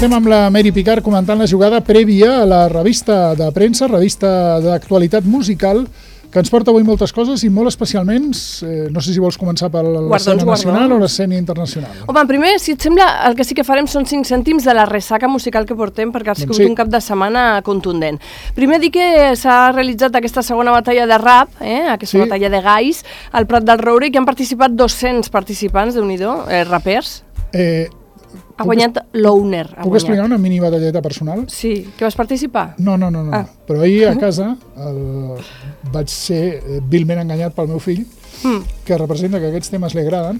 estem amb la Mary Picard comentant la jugada prèvia a la revista de premsa, revista d'actualitat musical, que ens porta avui moltes coses i molt especialment, no sé si vols començar per l'escena nacional o l'escena internacional. Home, primer, si et sembla, el que sí que farem són 5 cèntims de la ressaca musical que portem, perquè ha sigut un cap de setmana contundent. Primer dir que s'ha realitzat aquesta segona batalla de rap, aquesta batalla de gais, al Prat del Roure, i que han participat 200 participants, déu-n'hi-do, rapers. Ha guanyat l'Owner. Puc explicar una mini batalleta personal? Sí, que vas participar? No. Però ahir a casa vaig ser vilment enganyat pel meu fill, que representa que aquests temes li agraden,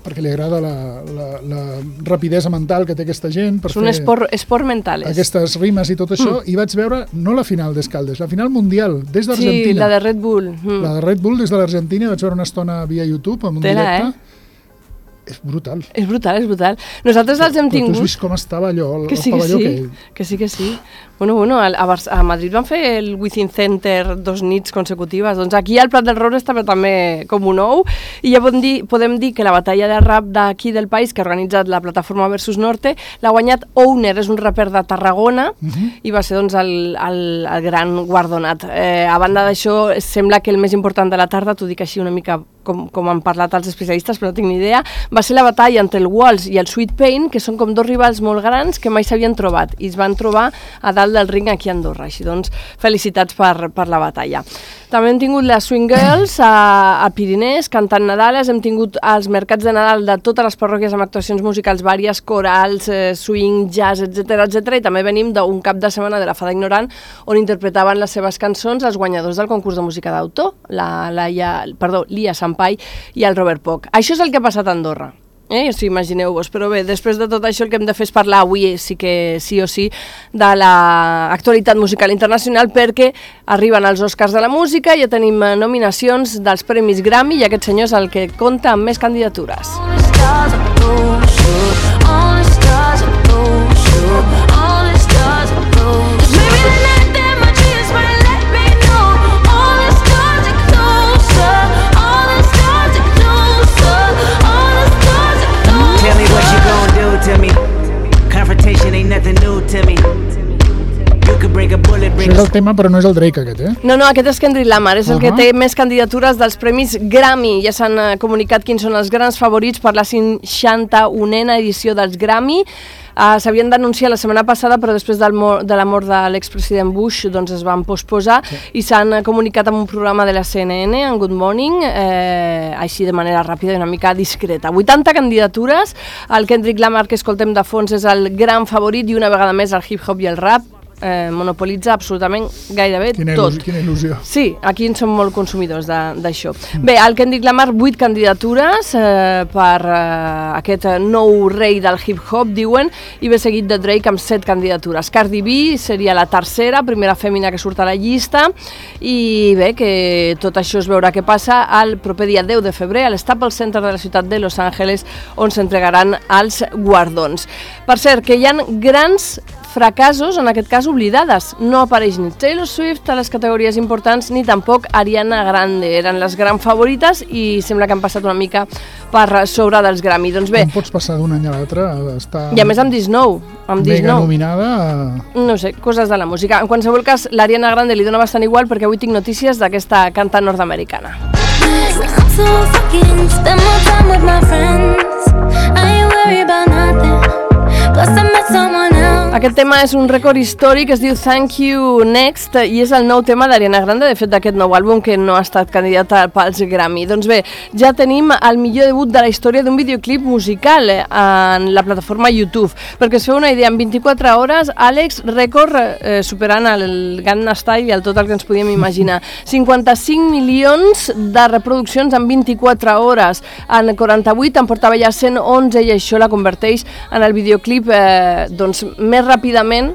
perquè li agrada la rapidesa mental que té aquesta gent. És un esport mental. Aquestes rimes i tot això, i vaig veure no la final d'Escaldes, la final mundial, des d'Argentina. Sí, la de Red Bull. La de Red Bull des de l'Argentina, vaig veure una estona via YouTube, en un directe. És brutal. És brutal. Nosaltres els hem tingut... Però tu has vist com estava allò, el pavelló aquell? Que sí. Bueno, a Madrid van fer el Within Center 2 nits consecutives. Doncs aquí al Prat del Roure estava també com un ou, i ja podem dir que la batalla de rap d'aquí del país, que ha organitzat la plataforma Versus Norte, l'ha guanyat Owner, és un raper de Tarragona, i va ser doncs el gran guardonat. A banda d'això, sembla que el més important de la tarda, t'ho dic així una mica com han parlat els especialistes, però no tinc ni idea, va ser la batalla entre el Walls i el Sweet Pain, que són com dos rivals molt grans que mai s'havien trobat, i es van trobar a dalt del ring aquí a Andorra. Així doncs, felicitats per la batalla. També hem tingut les Swing Girls a Pirinès, cantant Nadales, hem tingut els mercats de Nadal de totes les parròquies amb actuacions musicals vàries, corals, swing, jazz, etc. I també venim d'un cap de setmana de la Fada Ignorant, on interpretaven les seves cançons els guanyadors del concurs de música d'autor, l'Ia Sampai i el Robert Poch. Això és el que ha passat a Andorra. Imagineu-vos, però bé, després de tot això el que hem de fer és parlar avui sí o sí de l'actualitat musical internacional, perquè arriben els Oscars de la música, ja tenim nominacions dels Premis Grammy, i aquest senyor és el que compta amb més candidatures. Això és el tema, però no és el Drake aquest, No, aquest és Kendrick Lamar, és el que té més candidatures dels Premis Grammy. Ja s'han comunicat quins són els grans favorits per la 61a edició dels Grammy. S'havien d'anunciar la setmana passada, però després de la mort de l'expresident Bush doncs es van posposar, i s'han comunicat amb un programa de la CNN, en Good Morning, així de manera ràpida i una mica discreta. 80 candidatures, el Kendrick Lamar que escoltem de fons és el gran favorit, i una vegada més el hip-hop i el rap monopolitza absolutament gairebé tot. Quina il·lusió. Sí, aquí en som molt consumidors d'això. Bé, el Kendrick Lamar, 8 candidatures per aquest nou rei del hip-hop, diuen, i ve seguit de Drake amb 7 candidatures. Cardi B seria la tercera, primera fèmina que surt a la llista, i bé, que tot això es veurà què passa el proper dia 10 de febrer a l'Staples Center de la ciutat de Los Angeles, on s'entregaran els guardons. Per cert, que hi ha grans fracassos, en aquest cas oblidades. No apareix ni Taylor Swift a les categories importants, ni tampoc Ariana Grande. Eren les grans favorites i sembla que han passat una mica per sobre dels Grammy. Doncs bé... Com pots passar d'un any a l'altre a estar... I a més amb Disney. Mega nominada... No sé, coses de la música. En qualsevol cas, l'Ariana Grande li dona bastant igual, perquè avui tinc notícies d'aquesta cantant nord-americana. Aquest tema és un rècord històric, es diu Thank You Next, i és el nou tema d'Ariana Grande, de fet d'aquest nou àlbum que no ha estat candidata pels Grammy. Doncs bé, ja tenim el millor debut de la història d'un videoclip musical en la plataforma YouTube. Perquè us feu una idea, en 24 hores, Àlex, rècord superant el Gangnam Style i el tot el que ens podíem imaginar. 55 milions de reproduccions en 24 hores. En 48 en portava ja 111, i això la converteix en el videoclip doncs més ràpidament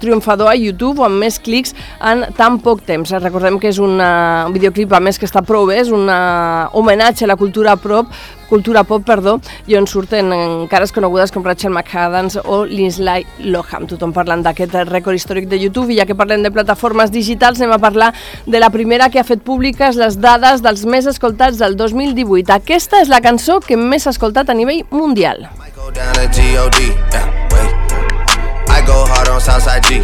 triomfador a YouTube, o amb més clics en tan poc temps. Recordem que és un videoclip, a més que està prou bé, és un homenatge a la cultura pop, i on surten cares conegudes com Rachel McAdams o Lindsay Lohan. Tothom parlant d'aquest rècord històric de YouTube, i ja que parlem de plataformes digitals, anem a parlar de la primera que ha fet públiques les dades dels més escoltats del 2018. Aquesta és la cançó que més s'ha escoltat a nivell mundial. go hard on Southside G.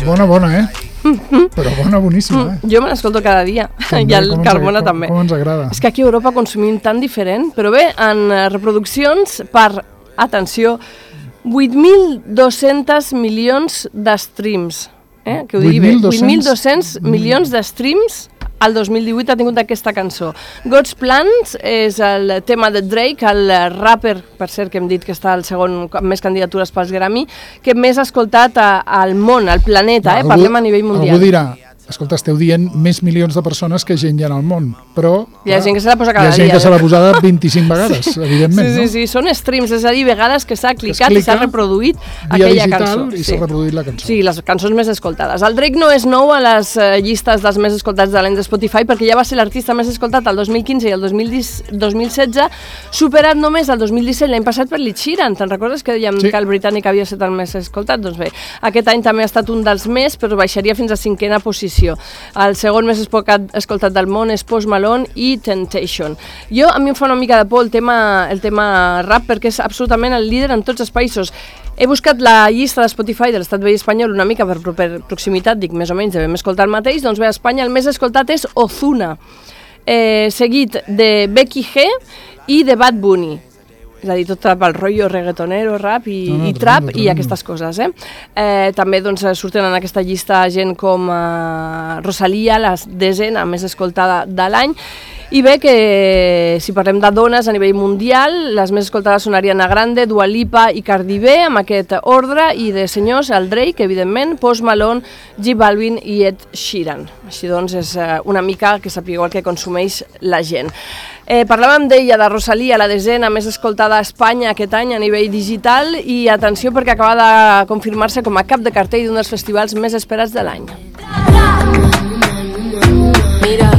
Bona, Però boníssima, Jo me l'escolto cada dia, i el Carmona també. Com ens agrada. És que aquí a Europa consumim tan diferent, però bé, en reproduccions per, atenció, 8.200 milions de streams. Que ho digui bé, 8.200 milions de streams el 2018 ha tingut aquesta cançó. God's Plans és el tema de Drake, el rapper, per cert, que hem dit que està al segon amb més candidatures pels Grammy, que més ha escoltat al món, al planeta, parlem a nivell mundial. Algú dirà, escolta, esteu dient més milions de persones que gent hi ha al món, però hi ha gent que se l'ha posat cada dia. Hi ha gent que se l'ha posat 25 vegades, evidentment, no? Sí, són streams, és a dir, vegades que s'ha clicat i s'ha reproduït aquella cançó. I s'ha reproduït la cançó. Sí, les cançons més escoltades. El Drake no és nou a les llistes dels més escoltats de l'any de Spotify, perquè ja va ser l'artista més escoltat el 2015 i el 2016, superat només el 2017, l'any passat per Ed Sheeran. Te'n recordes que dèiem que el britànic havia estat el més escoltat? Doncs bé, aquest any també ha estat un dels més, però baixaria fins a 5ª posició. El segon més escoltat del món és Post Malone i Temptation. A mi em fa una mica de por el tema rap, perquè és absolutament el líder en tots els països. He buscat la llista de Spotify de l'estat veí espanyol una mica per proximitat, dic més o menys, devem escoltar el mateix, doncs bé, a Espanya el més escoltat és Ozuna, seguit de Becky G i de Bad Bunny. És a dir, tot el rotllo reggaetonero, rap i trap i aquestes coses. També surten en aquesta llista gent com Rosalía, la 10ª més escoltada de l'any. I bé, que si parlem de dones a nivell mundial, les més escoltades són Ariana Grande, Dua Lipa i Cardi B, amb aquest ordre, i de senyors, el Drake, evidentment, Post Malone, J Balvin i Ed Sheeran. Així doncs, és una mica que sapigueu el que consumeix la gent. Parlàvem d'ella, de Rosalía, la 10ª més escoltada a Espanya aquest any a nivell digital, i atenció perquè acaba de confirmar-se com a cap de cartell d'un dels festivals més esperats de l'any. Mira.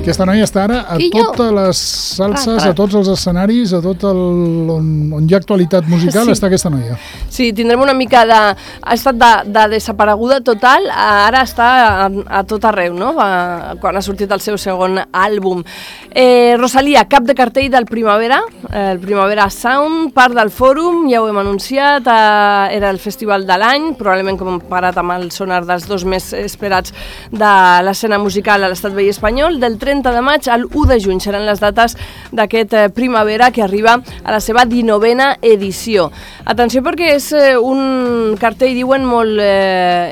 Aquesta noia està ara a totes les salses, a tots els escenaris, a tot on hi ha actualitat musical, està aquesta noia. Sí, tindrem una mica de... Ha estat de desapareguda total, ara està a tot arreu, no? Quan ha sortit el seu segon àlbum. Rosalía, cap de cartell del Primavera, el Primavera Sound, part del Fòrum, ja ho hem anunciat, era el festival de l'any, probablement comparat amb el sonar dels dos més esperats de l'escena musical a l'estat veí espanyol, del 30 de maig al 1 de juny seran les dates d'aquest Primavera, que arriba a la seva 19ª edició. Atenció, perquè és un cartell, diuen, molt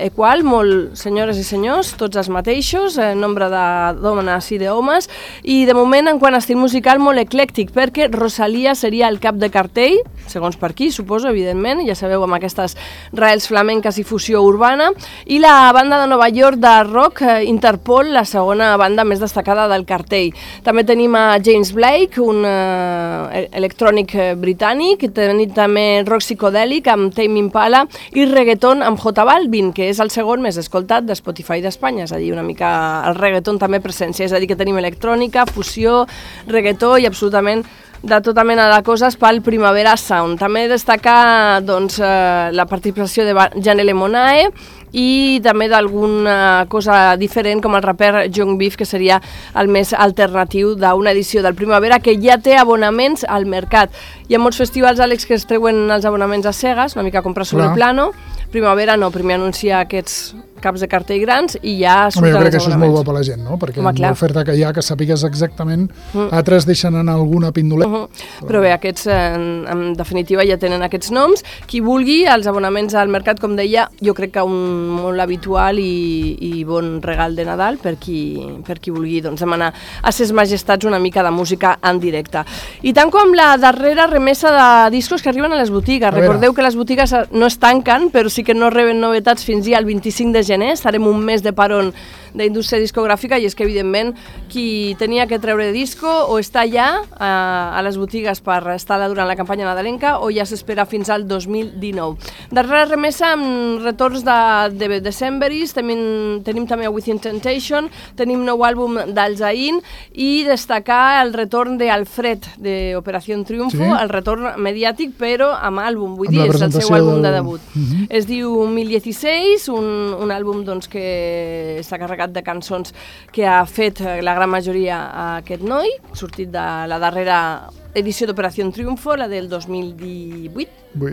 equal, molt senyores i senyors, tots els mateixos, nombre de dones i d'homes, i de moment, en quant a estil musical, molt eclèctic, perquè Rosalía seria el cap de cartell, segons per aquí, suposo, evidentment, ja sabeu, amb aquestes raels flamenques i fusió urbana, i la banda de Nova York de rock, Interpol, la segona banda més destacada del cartell. També tenim a James Blake, un electrònic britànic, tenim també rock psicodèlic amb Tame Impala i reggaeton amb J Balvin, que és el segon més escoltat de Spotify d'Espanya, és a dir, una mica el reggaeton també presència, és a dir, que tenim electrònica, fusió, reggaetó i absolutament de tota mena de coses pel Primavera Sound. També destaca la participació de Janelle Monáe i també d'alguna cosa diferent com el raper Young Beef, que seria el més alternatiu d'una edició del Primavera que ja té abonaments al mercat. Hi ha molts festivals, Àlex, que es treuen els abonaments a cegues, una mica comprar sobre plano. Primavera no, primer anuncia aquests caps de cartell grans i ja surten els abonaments. Jo crec que això és molt bo per la gent, no? Perquè amb l'oferta que hi ha, que sàpigues exactament, altres deixen anar alguna pindoleta. Però bé, aquests, en definitiva, ja tenen aquests noms. Qui vulgui, els abonaments al mercat, com deia, jo crec que un molt habitual i bon regal de Nadal per qui vulgui demanar a ses majestats una mica de música en directe. I tant com la darrera remesa de discos que arriben a les botigues. Recordeu que les botigues no es tanquen, però sí que no reben novetats fins ja el 25 de gener. Estarem un mes de parón d'indústria discogràfica i és que, evidentment, qui tenia que treure disco o està ja a les botigues per estar durant la campanya nadalenca o ja s'espera fins al 2019. Darrera remesa amb retorns de de Decemberist, tenim també Within Temptation, tenim nou àlbum d'Al Zayn i destacar el retorn d'Alfred de Operació Triunfo, el retorn mediàtic però amb àlbum, vull dir, és el seu àlbum de debut. Es diu 1016, un àlbum que està carregat de cançons que ha fet la gran majoria aquest noi, sortit de la darrera edició d'Operació Triunfo, la del 2018,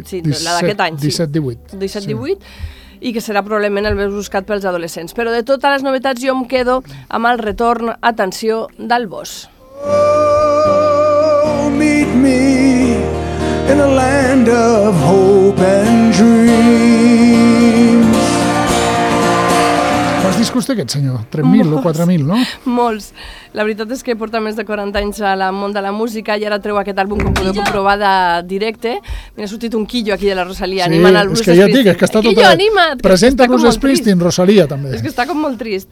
sí, la d'aquest any. 17-18, i que serà probablement el més buscat pels adolescents. Però de totes les novetats jo em quedo amb el retorn, atenció, del Boss. Oh, meet me in a land of hope and dreams. Quants discos té aquest senyor? 3.000 o 4.000, no? Molts. La veritat és que porta més de 40 anys al món de la música i ara treu aquest àlbum, com podeu comprovar, de directe. M'ha sortit un quillo aquí de la Rosalía, animant el Bruce Springsteen. Sí, és que ja et dic, és que està tot... Presenta Bruce Springsteen, Rosalía, també. És que està com molt trist.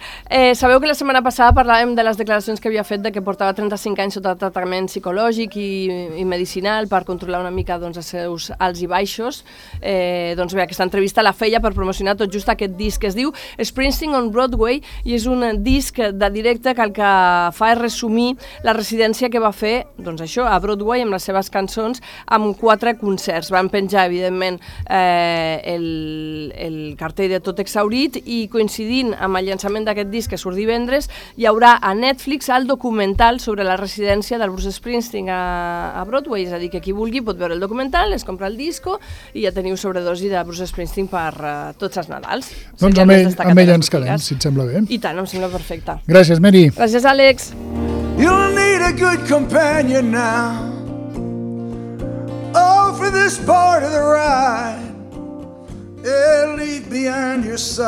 Sabeu que la setmana passada parlàvem de les declaracions que havia fet de que portava 35 anys sota tractament psicològic i medicinal per controlar una mica els seus alts i baixos. Doncs bé, aquesta entrevista la feia per promocionar tot just aquest disc que es diu Springsteen on Broadway i és un disc de directe que el que fa és resumir la residència que va fer, doncs això, a Broadway amb les seves cançons, amb 4 concerts. Van penjar, evidentment, el cartell de tot exhaurit i coincidint amb el llançament d'aquest disc que surt divendres, hi haurà a Netflix el documental sobre la residència del Bruce Springsteen a Broadway, és a dir, que qui vulgui pot veure el documental, es compra el disco i ja teniu sobredosi de Bruce Springsteen per tots els Nadals. Doncs amb ell ens quedem, si et sembla bé. I tant, em sembla perfecte. Gràcies, Mary. Gràcies, Àlex. You'll need a good companion now. Oh, for this part of the ride, leave behind your side.